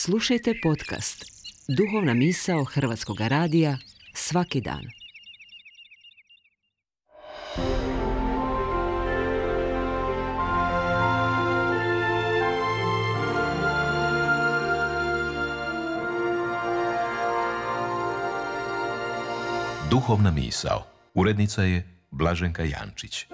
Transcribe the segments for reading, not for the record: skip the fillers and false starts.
Slušajte podcast Duhovna misao Hrvatskog radija svaki dan. Duhovna misao. Urednica je Blaženka Jančić.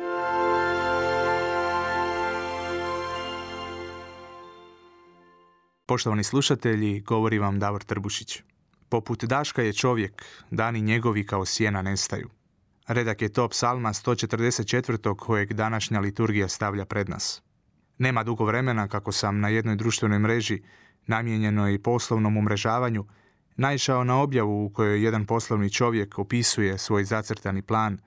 Poštovani slušatelji, govori vam Davor Trbušić. Poput daška je čovjek, dani njegovi kao sjena nestaju. Redak je to psalma 144. kojeg današnja liturgija stavlja pred nas. Nema dugo vremena kako sam na jednoj društvenoj mreži, namijenjenoj poslovnom umrežavanju, naišao na objavu u kojoj jedan poslovni čovjek opisuje svoj zacrtani plan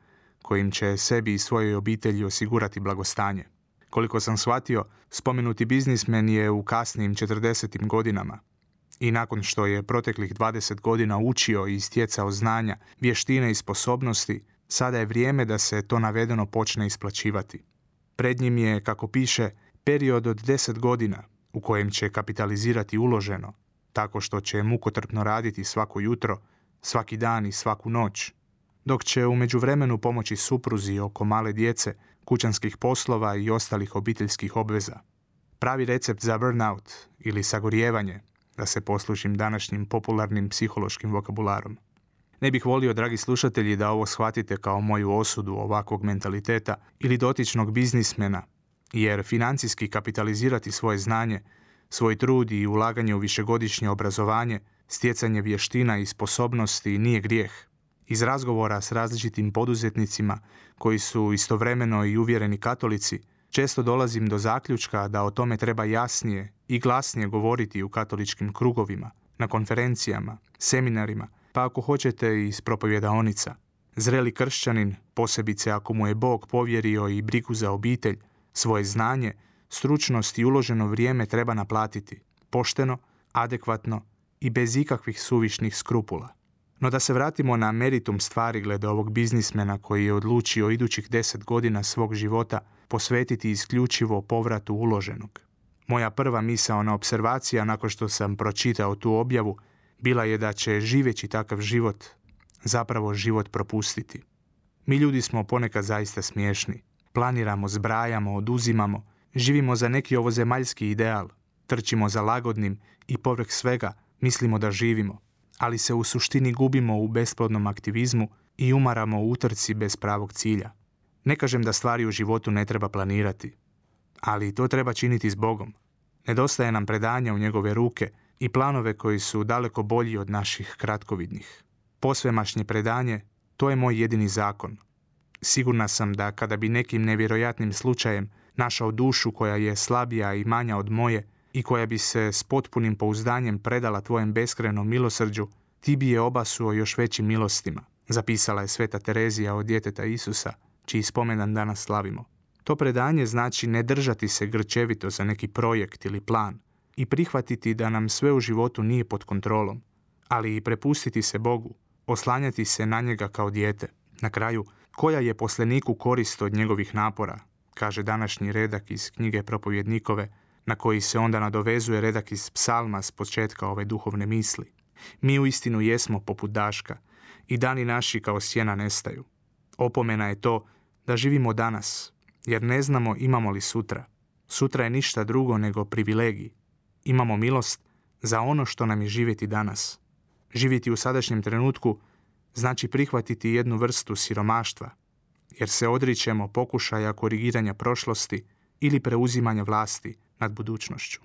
kojim će sebi i svojoj obitelji osigurati blagostanje. Koliko sam shvatio, spomenuti biznismen je u kasnim 40. godinama i nakon što je proteklih 20 godina učio i stjecao znanja, vještine i sposobnosti, sada je vrijeme da se to navedeno počne isplaćivati. Pred njim je, kako piše, period od 10 godina u kojem će kapitalizirati uloženo, tako što će mukotrpno raditi svako jutro, svaki dan i svaku noć, dok će u međuvremenu pomoći supruzi oko male djece, kućanskih poslova i ostalih obiteljskih obveza. Pravi recept za burnout ili sagorijevanje, da se poslužim današnjim popularnim psihološkim vokabularom. Ne bih volio, dragi slušatelji, da ovo shvatite kao moju osudu ovakvog mentaliteta ili dotičnog biznismena, jer financijski kapitalizirati svoje znanje, svoj trud i ulaganje u višegodišnje obrazovanje, stjecanje vještina i sposobnosti nije grijeh. Iz razgovora s različitim poduzetnicima koji su istovremeno i uvjereni katolici, često dolazim do zaključka da o tome treba jasnije i glasnije govoriti u katoličkim krugovima, na konferencijama, seminarima, pa ako hoćete i iz propovjedaonica. Zreli kršćanin, posebice ako mu je Bog povjerio i brigu za obitelj, svoje znanje, stručnost i uloženo vrijeme treba naplatiti, pošteno, adekvatno i bez ikakvih suvišnih skrupula. No da se vratimo na meritum stvari glede ovog biznismena koji je odlučio idućih 10 godina svog života posvetiti isključivo povratu uloženog. Moja prva misaona opservacija nakon što sam pročitao tu objavu bila je da će živeći takav život zapravo život propustiti. Mi ljudi smo ponekad zaista smiješni. Planiramo, zbrajamo, oduzimamo, živimo za neki ovozemaljski ideal, trčimo za lagodnim i povrh svega mislimo da živimo, ali se u suštini gubimo u besplodnom aktivizmu i umaramo u utrci bez pravog cilja. Ne kažem da stvari u životu ne treba planirati, ali to treba činiti s Bogom. Nedostaje nam predanja u njegove ruke i planove koji su daleko bolji od naših kratkovidnih. Posvemašnje predanje, to je moj jedini zakon. Sigurna sam da kada bi nekim nevjerojatnim slučajem našao dušu koja je slabija i manja od moje i koja bi se s potpunim pouzdanjem predala tvojem beskrajnom milosrđu, ti bi je obasuo još većim milostima, zapisala je Sveta Terezija od djeteta Isusa, čiji spomendan danas slavimo. To predanje znači ne držati se grčevito za neki projekt ili plan i prihvatiti da nam sve u životu nije pod kontrolom, ali i prepustiti se Bogu, oslanjati se na njega kao dijete. Na kraju, koja je poslaniku korist od njegovih napora, kaže današnji redak iz knjige Propovjednikove, na koji se onda nadovezuje redak iz psalma s početka ove duhovne misli. Mi uistinu jesmo poput daška i dani naši kao sjena nestaju. Opomena je to da živimo danas, jer ne znamo imamo li sutra. Sutra je ništa drugo nego privilegij. Imamo milost za ono što nam je živjeti danas. Živjeti u sadašnjem trenutku znači prihvatiti jednu vrstu siromaštva, jer se odričemo pokušaja korigiranja prošlosti ili preuzimanja vlasti nad budućnošću.